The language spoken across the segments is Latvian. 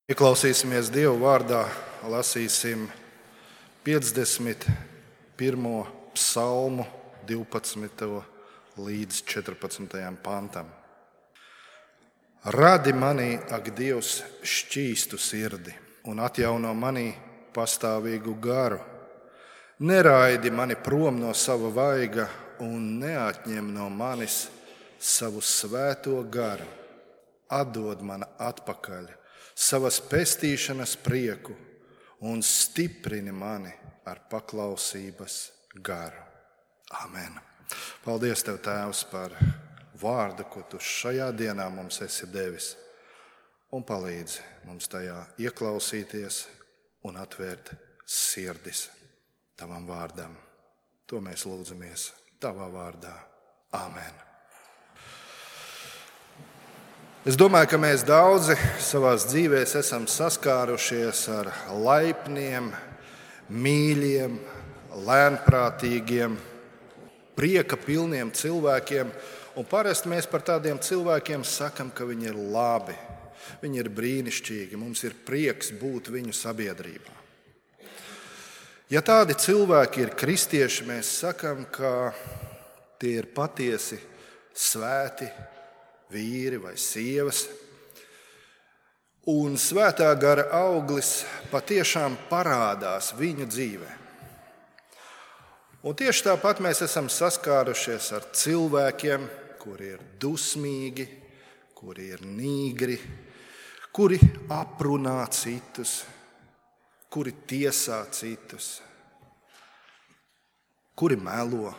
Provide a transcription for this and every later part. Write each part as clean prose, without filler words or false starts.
Ieklausīsimies Dieva vārdā, lasīsim 51. psalmu 12. līdz 14. pantam. Radi manī, ak Dievs, šķīstu sirdi un atjauno manī pastāvīgu garu. Neraidi mani prom no sava vaiga un neatņem no manis savu svēto garu. Atdod man atpakaļ savas pestīšanas prieku un stiprini mani ar paklausības garu. Amen. Paldies Tev, Tēvs, par vārdu, ko Tu šajā dienā mums esi devis, un palīdzi mums tajā ieklausīties un atvērt sirdis Tavam vārdam. To mēs lūdzamies Tavā vārdā. Amen. Es domāju, ka mēs daudzi savās dzīvēs esam saskārušies ar laipniem, mīļiem, lēnprātīgiem, prieka pilniem cilvēkiem. Un parasti mēs par tādiem cilvēkiem sakam, ka viņi ir labi, viņi ir brīnišķīgi, mums ir prieks būt viņu sabiedrībā. Ja tādi cilvēki ir kristieši, mēs sakam, ka tie ir patiesi svēti vīri vai sievas, un svētā gara auglis patiešām parādās viņu dzīvē. Un tieši tāpat mēs esam saskārušies ar cilvēkiem, kuri ir dusmīgi, kuri ir nīgri, kuri aprunā citus, kuri tiesā citus, kuri melo,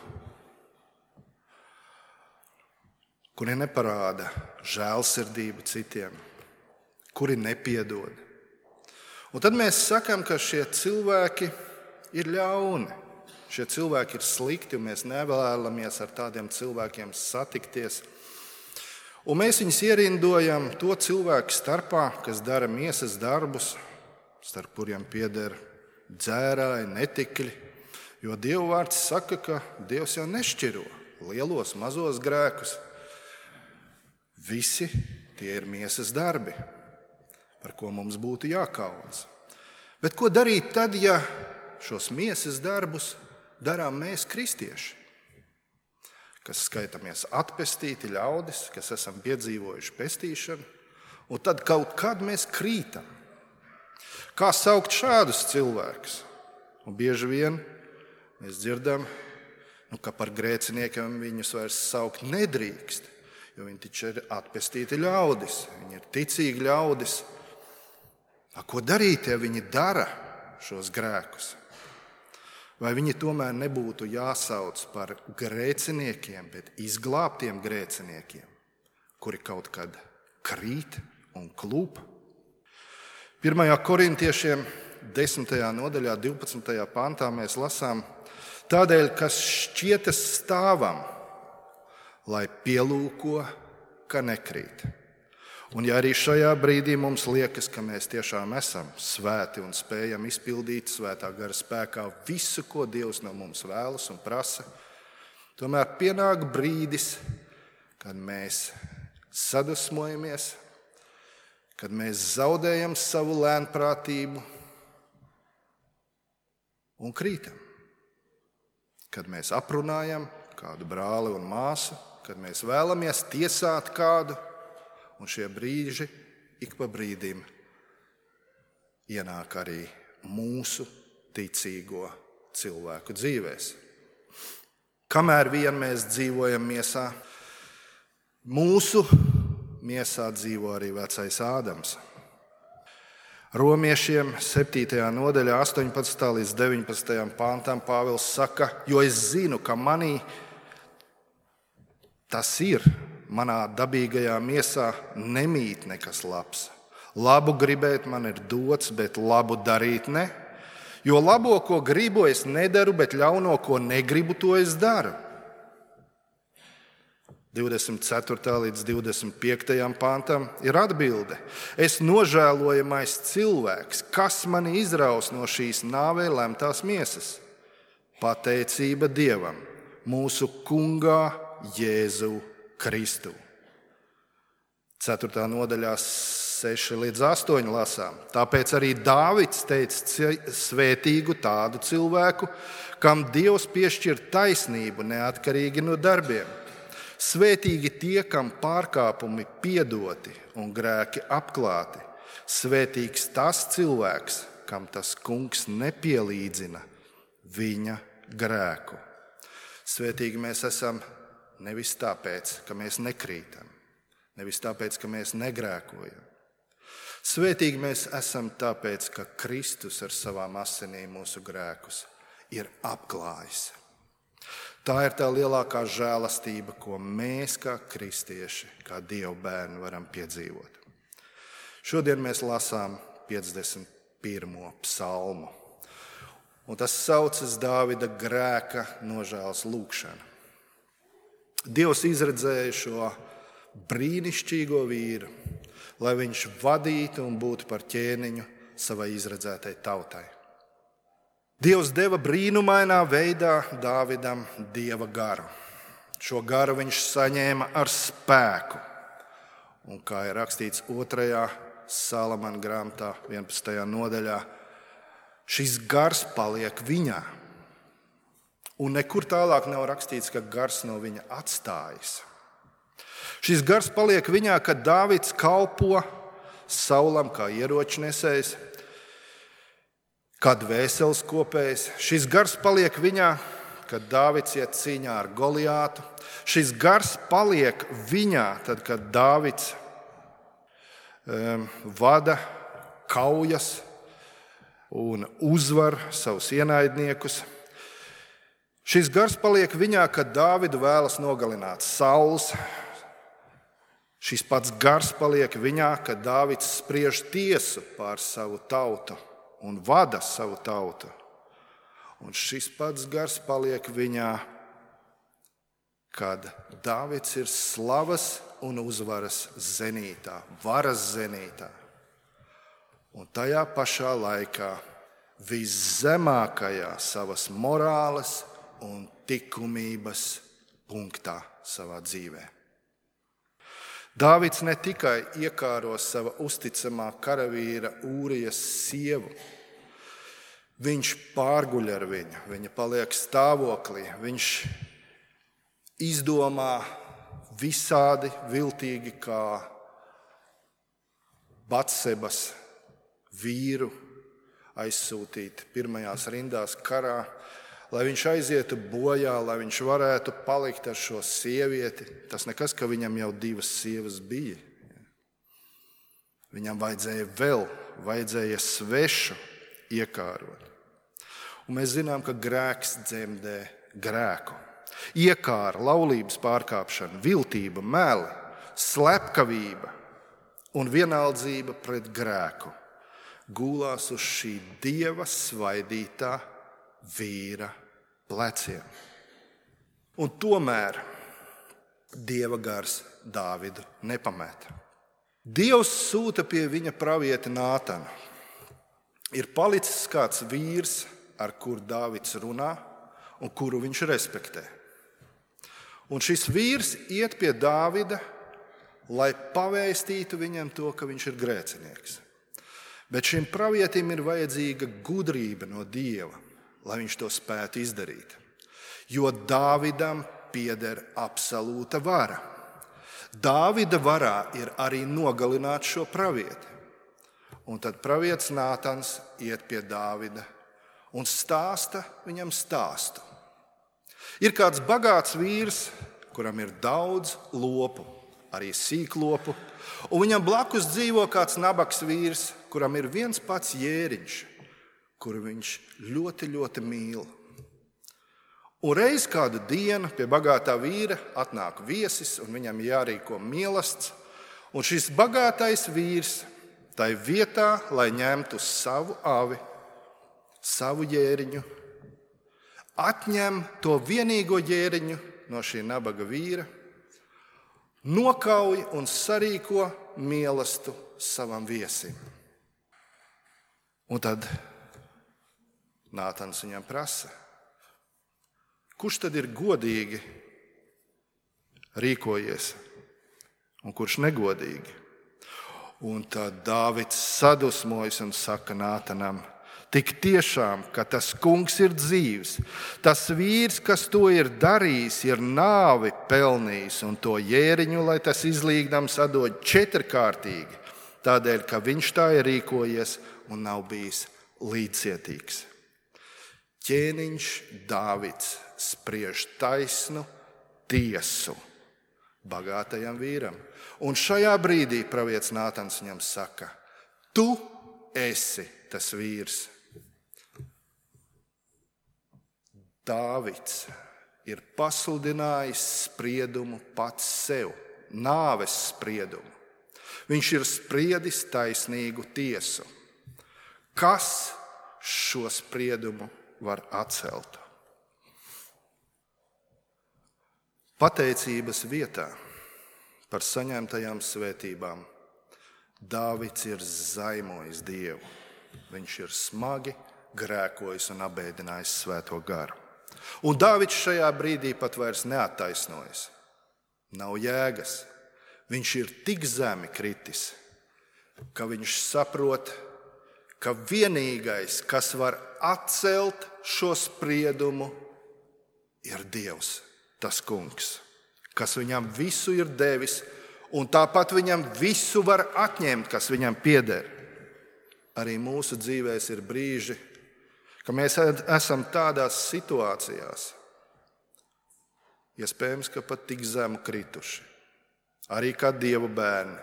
kuri neparāda žēlsirdību citiem, kuri nepiedod. Un tad mēs sakam, ka šie cilvēki ir ļauni, šie cilvēki ir slikti, un mēs nevēlamies ar tādiem cilvēkiem satikties. Un mēs viņus ierindojam to cilvēku starpā, kas dara miesas darbus, starp kuriem pieder dzērāji, netikļi, jo Dieva vārds saka, ka Dievs jau nešķiro lielos, mazos grēkus. Visi tie ir miesas darbi, par ko mums būtu jākaunas. Bet ko darīt tad, ja šos miesas darbus darām mēs, kristieši, kas skaitāmies atpestīti ļaudis, kas esam piedzīvojuši pestīšanu, un tad kaut kad mēs krītam? Kā saukt šādus cilvēkus? Un bieži vien mēs dzirdam, ka par grēciniekiem viņus vairs saukt nedrīkst, jo viņi taču ir atpestīti ļaudis, viņi ir ticīgi ļaudis. Ko darīt, ja viņi dara šos grēkus? Vai viņi tomēr nebūtu jāsauc par grēciniekiem, bet izglābtiem grēciniekiem, kuri kaut kad krīt un klūp? 1. korintiešiem 10. nodaļā 12. pantā mēs lasām: tādēļ, kas šķietas stāvam, lai pielūko, ka nekrīt. Un ja arī šajā brīdī mums liekas, ka mēs tiešām esam svēti un spējam izpildīt svētā gara spēkā visu, ko Dievs no mums vēlas un prasa, tomēr pienāk brīdis, kad mēs sadusmojamies, kad mēs zaudējam savu lēnprātību un krītam. Kad mēs aprunājam kādu brāli un māsu, kad mēs vēlamies tiesāt kādu, un šie brīži ik pa brīdim ienāk arī mūsu ticīgo cilvēku dzīvēs. Kamēr vien mēs dzīvojam miesā, mūsu miesā dzīvo arī vecais Ādams. Romiešiem 7. nodaļā 18. līdz 19. pantam Pāvils saka: jo es zinu, ka manī tas ir, manā dabīgajā miesā nemīt nekas labs. Labu gribēt man ir dots, bet labu darīt ne. Jo labo, ko gribu, es nedaru, bet ļauno, ko negribu, to es daru. 24. līdz 25. pantam ir atbilde: es nožēlojamais cilvēks, kas mani izraus no šīs nāvei lemtās miesas? Pateicība Dievam, mūsu Kungā Jēzu Kristu. 4. nodaļā 6-8 lasām. Tāpēc arī Dāvids teica svētīgu tādu cilvēku, kam Dievs piešķir taisnību neatkarīgi no darbiem. Svētīgi tie, kam pārkāpumi piedoti un grēki apklāti. Svētīgs tas cilvēks, kam tas kungs nepielīdzina viņa grēku. Svētīgi mēs esam nevis tāpēc, ka mēs nekrītam, nevis tāpēc, ka mēs negrēkojam. Svētīgi mēs esam tāpēc, ka Kristus ar savām asinīm mūsu grēkus ir apklājis. Tā ir tā lielākā žēlastība, ko mēs kā kristieši, kā Dieva bērni varam piedzīvot. Šodien mēs lasām 51. psalmu. Un tas saucas Dāvida grēka nožēlas lūgšana. Dievs izredzēja šo brīnišķīgo vīru, lai viņš vadītu un būtu par ķēniņu savai izredzētai tautai. Dievs deva brīnumainā veidā Dāvidam Dieva garu. Šo garu viņš saņēma ar spēku. Un kā ir rakstīts 2. Salamana grāmatā, 11. nodaļā, šis gars paliek viņā. Un nekur tālāk nav rakstīts, ka gars no viņa atstājas. Šis gars paliek viņā, kad Dāvids kalpo Saulam kā ieročnesējs, kā dvēseles kopējs. Šis gars paliek viņā, kad Dāvids iet cīņā ar Goliātu. Šis gars paliek viņā, tad, kad Dāvids vada kaujas un uzvar savus ienaidniekus. Šis gars paliek viņā, kad Dāvidu vēlas nogalināt Sauls. Šis pats gars paliek viņā, kad Dāvids spriež tiesu pār savu tautu un vada savu tautu. Un šis pats gars paliek viņā, kad Dāvids ir slavas un uzvaras zenītā, varas zenītā. Un tajā pašā laikā viszemākajā savas morāles un likumības punktā savā dzīvē. Dāvids ne tikai iekāro sava uzticamā karavīra Ūrijas sievu, viņš pārguļ ar viņu, viņa paliek stāvoklī, viņš izdomā visādi viltīgi kā Batsebas vīru aizsūtīt pirmajās rindās karā, lai viņš aizietu bojā, lai viņš varētu palikt ar šo sievieti. Tas nekas, ka viņam jau 2 sievas bija. Viņam vajadzēja svešu iekārot. Un mēs zinām, ka grēks dzemdē grēku. Iekāra, laulības pārkāpšana, viltība, meli, slepkavība un vienaldzība pret grēku gulās uz šī Dieva svaidītā vīra pleciem. Un tomēr Dieva gars Dāvidu nepameta. Dievs sūta pie viņa pravieta Nātanu. Ir palicis kāds vīrs, ar kuru Dāvids runā un kuru viņš respektē. Un šis vīrs iet pie Dāvida, lai pavēstītu viņam to, ka viņš ir grēcinieks. Bet šim pravietim ir vajadzīga gudrība no Dieva, lai viņš to spētu izdarīt. Jo Dāvidam pieder absolūta vara. Dāvida varā ir arī nogalināt šo pravieti. Un tad pravietis Nātans iet pie Dāvida un stāsta viņam stāstu. Ir kāds bagāts vīrs, kuram ir daudz lopu, arī sīklopu, un viņam blakus dzīvo kāds nabaks vīrs, kuram ir viens pats jēriņš, kuru viņš ļoti, ļoti mīl. Un reiz kādu dienu pie bagātā vīra atnāk viesis, un viņam jārīko mielasts, un šis bagātais vīrs tai vietā, lai ņemtu savu avi, savu jēriņu, atņem to vienīgo jēriņu no šī nabaga vīra, nokauj un sarīko mielastu savam viesim. Un tad Nātans viņam prasa, kurš tad ir godīgi rīkojies un kurš negodīgi? Un tad Dāvids sadusmojas un saka Nātanam: tik tiešām, ka tas kungs ir dzīvs, tas vīrs, kas to ir darījis, ir nāvi pelnījis, un to jēriņu, lai tas izlīgdams atdod 4-kārtīgi, tādēļ, ka viņš tā ir rīkojies un nav bijis līdzcietīgs. Ķēniņš Dāvids spriež taisnu tiesu bagātajam vīram. Un šajā brīdī pravietis Nātans viņam saka: tu esi tas vīrs. Dāvids ir pasludinājis spriedumu pats sev, nāves spriedumu. Viņš ir spriedis taisnīgu tiesu. Kas šo spriedumu var atcelt? Pateicības vietā par saņemtajām svētībām Dāvids ir zaimojis Dievu. Viņš ir smagi grēkojis un apbēdinājis Svēto garu. Un Dāvids šajā brīdī pat vairs neattaisnojas. Nav jēgas. Viņš ir tik zemi kritis, ka viņš saprot, ka vienīgais, kas var atcelt šo spriedumu, ir Dievs, tas kungs, kas viņam visu ir devis, un tāpat viņam visu var atņemt, kas viņam pieder. Arī mūsu dzīvēs ir brīži, ka mēs esam tādās situācijās, iespējams, ka pat tik zemu krituši, arī kā Dieva bērni,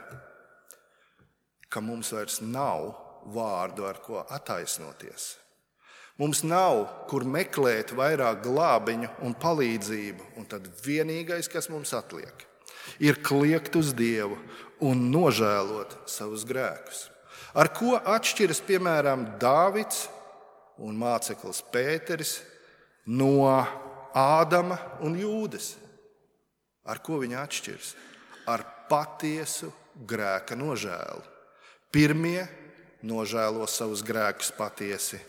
ka mums vairs nav vārdu, ar ko attaisnoties. Mums nav, kur meklēt vairāk glābiņu un palīdzību, un tad vienīgais, kas mums atliek, ir kliegt uz Dievu un nožēlot savus grēkus. Ar ko atšķiras, piemēram, Dāvids un māceklis Pēteris no Ādama un Jūdas? Ar ko viņi atšķiras? Ar patiesu grēka nožēlu. Pirmie nožēlo savus grēkus patiesi,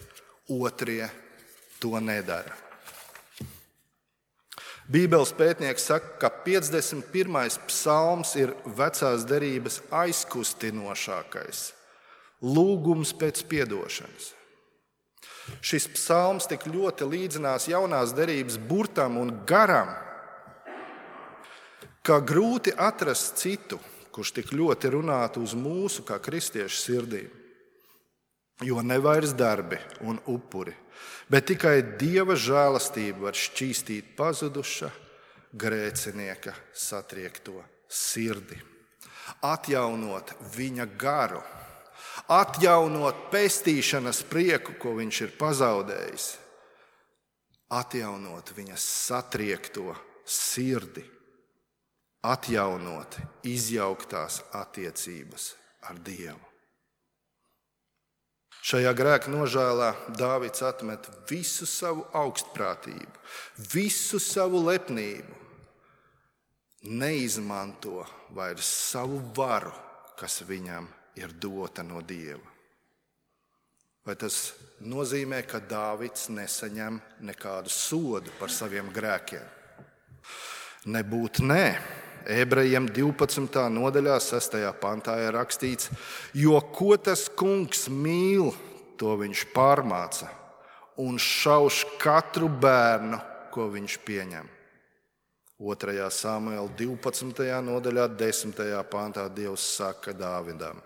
otrie to nedara. Bībeles pētnieks saka, ka 51. psalms ir vecās derības aizkustinošākais lūgums pēc piedošanas. Šis psalms tik ļoti līdzinās jaunās derības burtam un garam, ka grūti atrast citu, kurš tik ļoti runātu uz mūsu kā kristiešu sirdīm. Jo ne vairs darbi un upuri, bet tikai Dieva žēlastība var šķīstīt pazuduša grēcinieka satriekto sirdi, atjaunot viņa garu, atjaunot pestīšanas prieku, ko viņš ir pazaudējis, atjaunot viņa satriekto sirdi, atjaunot izjauktās attiecības ar Dievu. Šajā grēka nožēlā Dāvids atmet visu savu augstprātību, visu savu lepnību, neizmanto vairs savu varu, kas viņam ir dota no Dieva. Vai tas nozīmē, ka Dāvids nesaņem nekādu sodu par saviem grēkiem? Nebūt nē. Ebrejiem 12. nodaļā 6. pantā ir rakstīts: jo ko tas kungs mīl, to viņš pārmāca un šauš katru bērnu, ko viņš pieņem. 2. Samuela 12. nodaļā 10. pantā Dievs saka Dāvidam: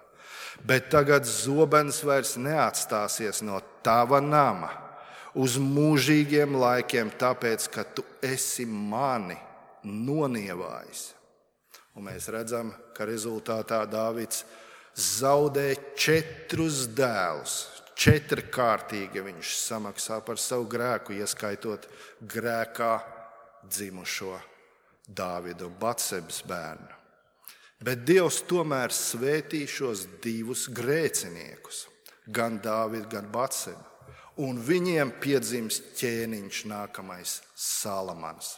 bet tagad zobens vairs neatstāsies no tava nama uz mūžīgiem laikiem, tāpēc, ka tu esi mani nonievājis. Un mēs redzam, ka rezultātā Dāvids zaudē 4 dēlus. 4-kārtīgi viņš samaksā par savu grēku, ieskaitot grēkā dzimušo Dāvidu Batsebas bērnu. Bet Dievs tomēr svētī šos 2 grēciniekus, gan Dāvidu, gan Batsebu, un viņiem piedzimst ķēniņš nākamais Salamans.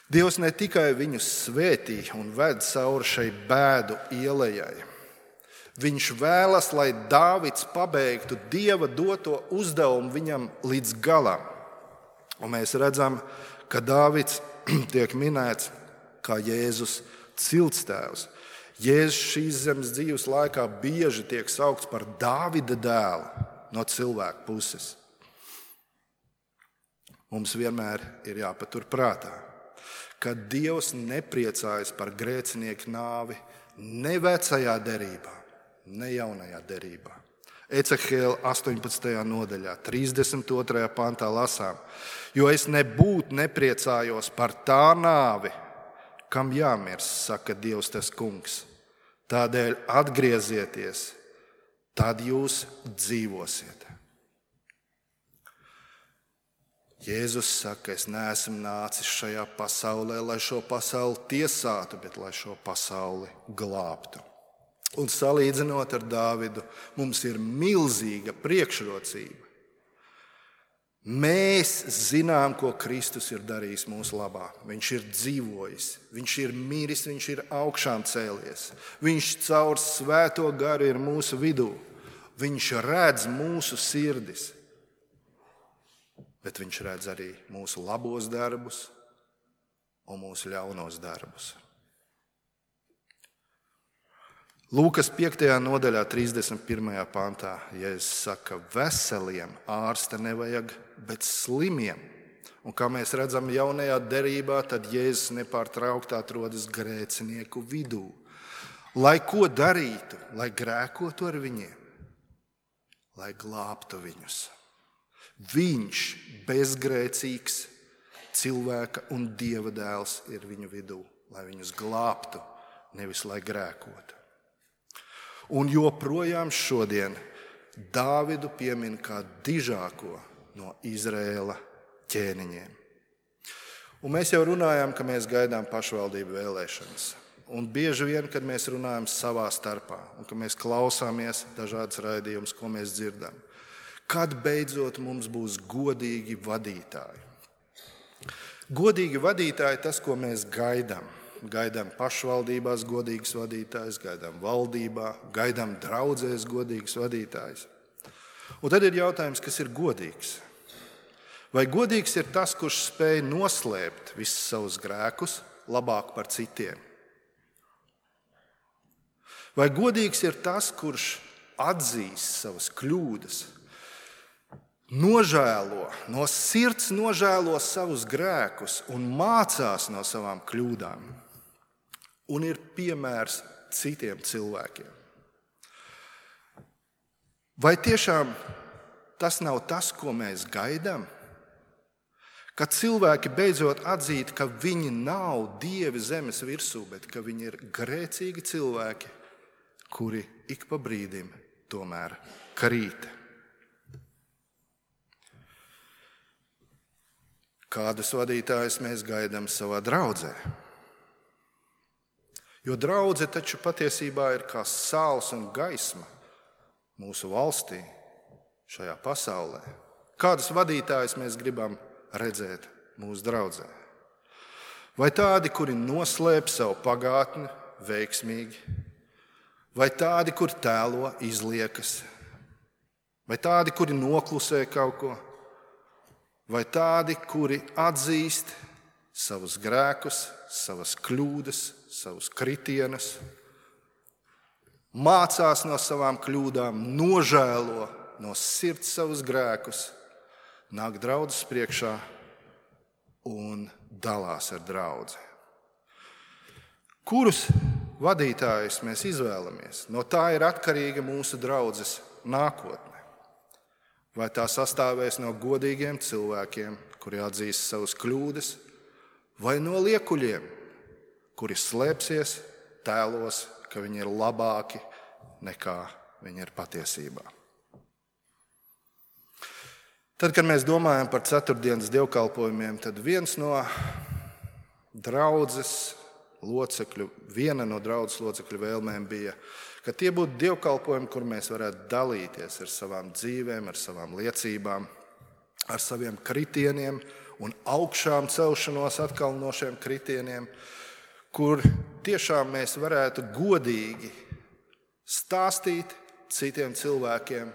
Dievs ne tikai viņus svētī un ved cauri šai bēdu ielejai. Viņš vēlas, lai Dāvids pabeigtu Dieva doto uzdevumu viņam līdz galam. Un mēs redzam, ka Dāvids tiek minēts kā Jēzus ciltstēvs. Jēzus šīs zemes dzīves laikā bieži tiek saukts par Dāvida dēlu no cilvēka puses. Mums vienmēr ir jāpatur prātā, ka Dievs nepriecājas par grēcinieku nāvi ne vecajā derībā, ne jaunajā derībā. Ecehēla 18. nodaļā, 32. pantā lasām, jo es nebūtu nepriecājos par tā nāvi, kam jāmirst, saka Dievs tas kungs. Tādēļ atgriezieties, tad jūs dzīvosiet. Jēzus saka, es neesmu nācis šajā pasaulē, lai šo pasauli tiesātu, bet lai šo pasauli glābtu. Un salīdzinot ar Dāvidu, mums ir milzīga priekšrocība. Mēs zinām, ko Kristus ir darījis mūsu labā. Viņš ir dzīvojis, viņš ir miris, viņš ir augšām cēlies. Viņš caur svēto garu ir mūsu vidū. Viņš redz mūsu sirdis, bet viņš redz arī mūsu labos darbus un mūsu ļaunos darbus. Lūkas 5. nodaļā, 31. pantā, Jēzus saka, veseliem ārsta nevajag, bet slimiem. Un kā mēs redzam jaunajā derībā, tad Jēzus nepārtraukti atrodas grēcinieku vidū. Lai ko darītu, lai grēkotu ar viņiem, lai glābtu viņus. Viņš, bezgrēcīgs cilvēka un Dieva dēls, ir viņu vidū, lai viņus glābtu, nevis lai grēkotu. Un joprojām šodien Dāvidu piemin kā dižāko no Izraēla ķēniņiem. Un mēs jau runājām, ka mēs gaidām pašvaldību vēlēšanas. Un bieži vien, kad mēs runājam savā starpā un ka mēs klausāmies dažādas raidījumus, ko mēs dzirdam, kad beidzot mums būs godīgi vadītāji. Godīgi vadītāji tas, ko mēs gaidām. Gaidām pašvaldībās godīgus vadītājus, gaidām valdībā, gaidām draudzēs godīgus vadītājus. Un tad ir jautājums, kas ir godīgs? Vai godīgs ir tas, kurš spēj noslēpt visus savus grēkus labāk par citiem? Vai godīgs ir tas, kurš atzīst savas kļūdas, nožēlo, no sirds nožēlo savus grēkus un mācās no savām kļūdām? Un ir piemērs citiem cilvēkiem. Vai tiešām tas nav tas, ko mēs gaidām? Kad cilvēki beidzot atzīst, ka viņi nav dievi zemes virsū, bet ka viņi ir grēcīgi cilvēki, kuri ik pa brīdim tomēr krīt. Kādus vadītājus mēs gaidām savā draudzē? Jo draudze taču patiesībā ir kā saules un gaisma mūsu valstī, šajā pasaulē. Kādus vadītājus mēs gribam redzēt mūsu draudzē? Vai tādi, kuri noslēp savu pagātni veiksmīgi? Vai tādi, kuri tēlo izliekas? Vai tādi, kuri noklusē kaut ko? Vai tādi, kuri atzīst savus grēkus, savas kļūdas, savus kritienus, mācās no savām kļūdām, nožēlo no sirds savus grēkus, nāk draudzes priekšā un dalās ar draudzi? Kurus vadītājus mēs izvēlamies? No tā ir atkarīga mūsu draudzes nākotne. Vai tā sastāvēs no godīgiem cilvēkiem, kuri atzīst savas kļūdas, vai no liekuļiem, kuri slēpsies, tēlos, ka viņi ir labāki nekā viņi ir patiesībā? Tad, kad mēs domājam par ceturtdienas dievkalpojumiem, tad viena no draudzes locekļu vēlmēm bija, ka tie būtu dievkalpojumi, kur mēs varētu dalīties ar savām dzīvēm, ar savām liecībām, ar saviem kritieniem un augšām celšanos atkal no šiem kritieniem, kur tiešām mēs varētu godīgi stāstīt citiem cilvēkiem,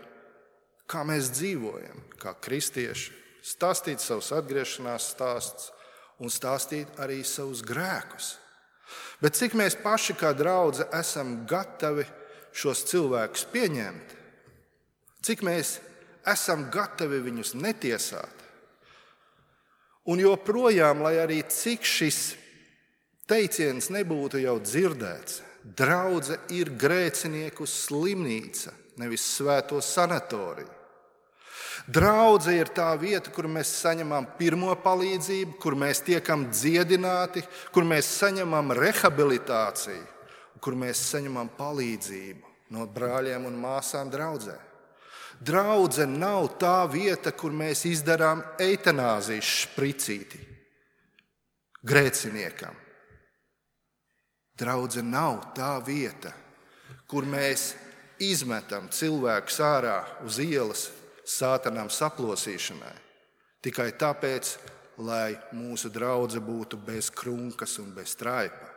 kā mēs dzīvojam, kā kristieši, stāstīt savus atgriešanās stāstus un stāstīt arī savus grēkus. Bet cik mēs paši kā draudze esam gatavi šos cilvēkus pieņemt? Cik mēs esam gatavi viņus netiesāt? Un joprojām, lai arī cik šis teiciens nebūtu jau dzirdēts, draudze ir grēcinieku slimnīca, nevis svēto sanatoriju. Draudze ir tā vieta, kur mēs saņemam pirmo palīdzību, kur mēs tiekam dziedināti, kur mēs saņemam rehabilitāciju, kur mēs saņemam palīdzību no brāļiem un māsām draudzē. Draudze nav tā vieta, kur mēs izdarām eitanāzijas špricīti grēciniekam. Draudze nav tā vieta, kur mēs izmetam cilvēkus ārā uz ielas sātanam saplosīšanai, tikai tāpēc, lai mūsu draudze būtu bez krunkas un bez traipa.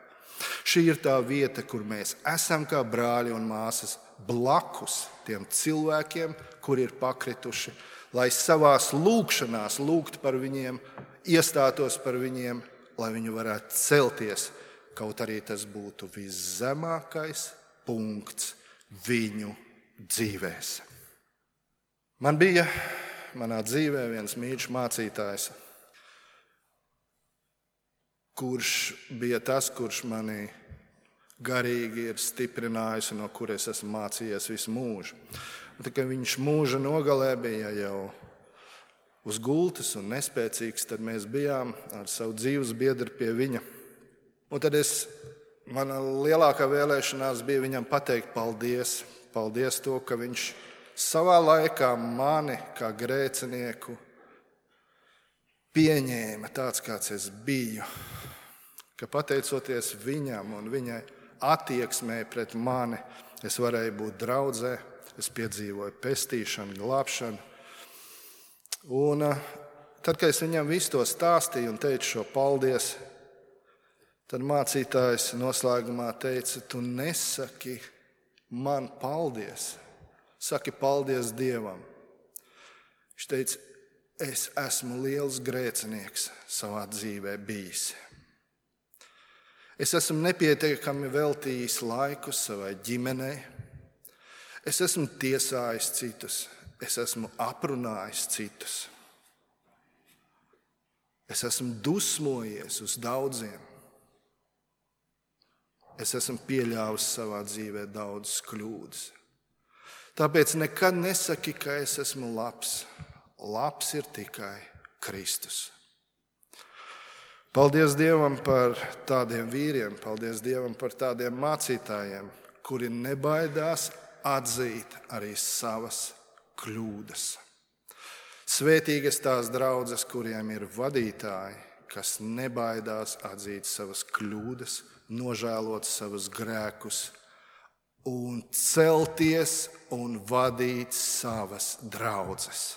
Šī ir tā vieta, kur mēs esam kā brāļi un māsas blakus tiem cilvēkiem, kuri ir pakrituši, lai savās lūgšanās lūgtu par viņiem, iestātos par viņiem, lai viņi varētu celties, kaut arī tas būtu viszemākais punkts viņu dzīvēs. Man bija manā dzīvē viens mīļš mācītājs, kurš bija tas, kurš mani garīgi ir stiprinājis un no kuras esmu mācījies visu mūžu. Un tikai viņš mūža nogalē bija jau uz gultas un nespēcīgs, tad mēs bijām ar savu dzīves biedru pie viņa. Un tad mana lielākā vēlēšanās bija viņam pateikt paldies. Paldies to, ka viņš savā laikā mani kā grēcinieku pieņēma tāds, kāds es biju. Ka pateicoties viņam un viņa attieksmē pret mani, es varēju būt draudzē, es piedzīvoju pestīšanu, glābšanu. Un tad, kad es viņam visu to stāstīju un teicu šo paldies, tad mācītājs noslēgumā teica, tu nesaki man paldies, saki paldies Dievam. Viņš teica, es esmu liels grēcinieks savā dzīvē bijis. Es esmu nepietiekami veltījis laiku savai ģimenei. Es esmu tiesājis citus. Es esmu aprunājis citus. Es esmu dusmojies uz daudziem. Es esmu pieļāvis savā dzīvē daudzas kļūdas. Tāpēc nekad nesaki, ka es esmu labs. Labs ir tikai Kristus. Paldies Dievam par tādiem vīriem, paldies Dievam par tādiem mācītājiem, kuri nebaidās atzīt arī savas kļūdas. Svētīgas tās draudzes, kuriem ir vadītāji, kas nebaidās atzīt savas kļūdas, nožēlot savus grēkus un celties un vadīt savas draudzes,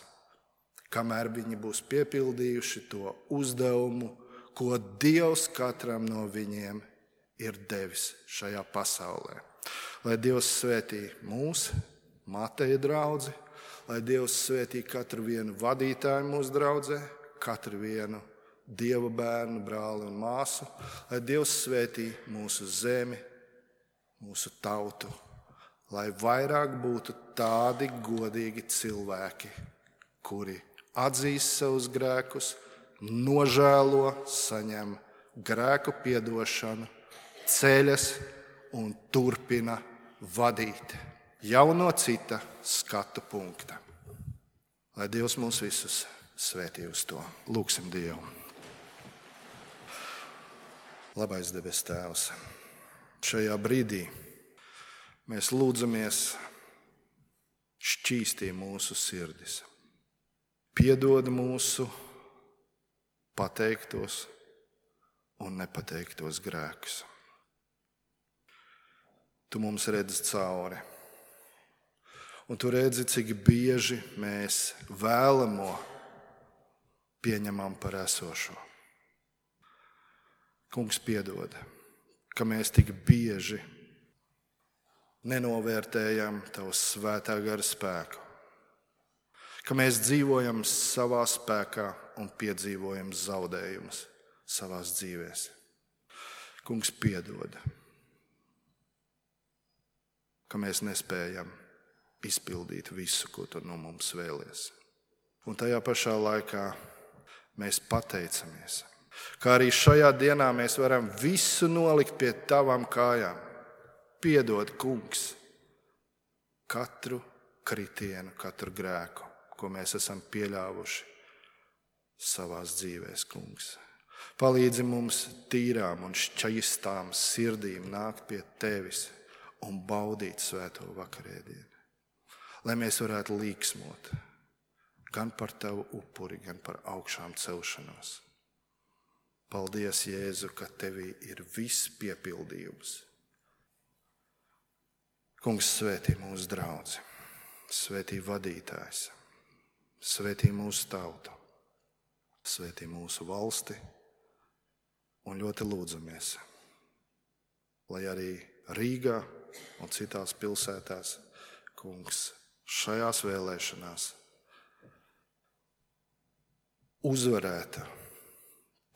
kamēr viņi būs piepildījuši to uzdevumu, ko Dievs katram no viņiem ir devis šajā pasaulē. Lai Dievs svētī mūs, Mateja draudzi, lai Dievs svētī katru vienu vadītāju mūsu draudzē, katru vienu Dieva bērnu, brāli un māsu, lai Dievs svētī mūsu zemi, mūsu tautu, lai vairāk būtu tādi godīgi cilvēki, kuri atzīst savus grēkus, nožēlo, saņem grēku piedošanu, ceļas un turpina vadīt jau no cita skatu punkta. Lai Dievs mūs visus svētī uz to. Lūgsim Dievu. Labais debes Tēvs, šajā brīdī mēs lūdzamies šķīstī mūsu sirdis. Piedod mūsu pateiktos un nepateiktos grēkus. Tu mums redzi cauri. Un tu redzi, cik bieži mēs vēlamo pieņemam par esošo. Kungs, piedod, ka mēs tik bieži nenovērtējam Tavu svētā gara spēku, ka mēs dzīvojam savā spēkā un piedzīvojam zaudējumus savās dzīvēs. Kungs, piedod, ka mēs nespējam izpildīt visu, ko tu no mums vēlies. Un tajā pašā laikā mēs pateicamies, kā arī šajā dienā mēs varam visu nolikt pie tavām kājām. Piedod, Kungs, katru kritienu, katru grēku, ko mēs esam pieļāvuši savās dzīvēs, Kungs. Palīdzi mums tīrām un šķaistām sirdīm nākt pie tevis un baudīt svēto vakarēdienu. Lai mēs varētu līksmot gan par tavu upuri, gan par augšām celšanos. Paldies, Jēzu, ka tevī ir viss piepildījums. Kungs, svētī mūsu draudzi, svētī vadītājs, svētī mūsu tautu, svētī mūsu valsti un ļoti lūdzamies, lai arī Rīgā un citās pilsētās, Kungs, šajās vēlēšanās uzvarētu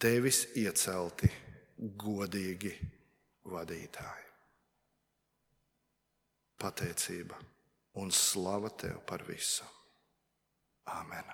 tevis iecelti godīgi vadītāji. Pateicība un slava tev par visu. Āmen.